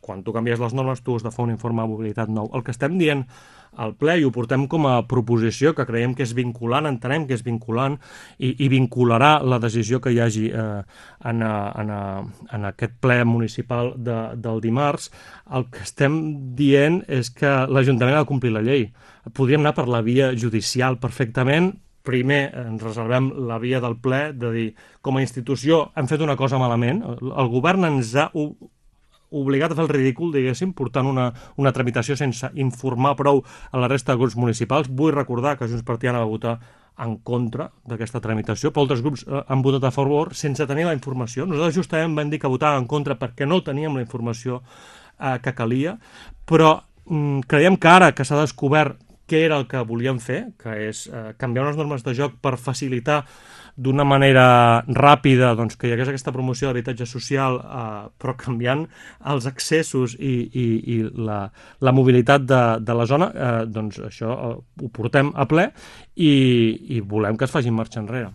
quan tu canvies les normes tu has de fer un informe de mobilitat nou. El que estem dient al ple i ho portem com a proposició, que creiem que és vinculant, entenem que és vinculant i vincularà la decisió que hi hagi en aquest ple municipal del dimarts. El que estem dient és que l'Ajuntament ha de complir la llei. Podríem anar per la via judicial perfectament. Primer ens reservem la via del ple de dir, com a institució hem fet una cosa malament, el govern ens ha obligat a fer el ridícul, diguéssim, portant una tramitació sense informar prou a la resta de grups municipals. Vull recordar que Junts per Tiana va votar en contra d'aquesta tramitació, però altres grups han votat a favor sense tenir la informació. Nosaltres justament vam dir que votàvem en contra perquè no teníem la informació que calia, però creiem que ara que s'ha descobert què era el que volíem fer, que és canviar unes normes de joc per facilitar d'una manera ràpida doncs, que hi hagués aquesta promoció d'habitatge social, però canviant els accessos i la mobilitat de la zona, doncs això ho portem a ple i volem que es faci marxa enrere.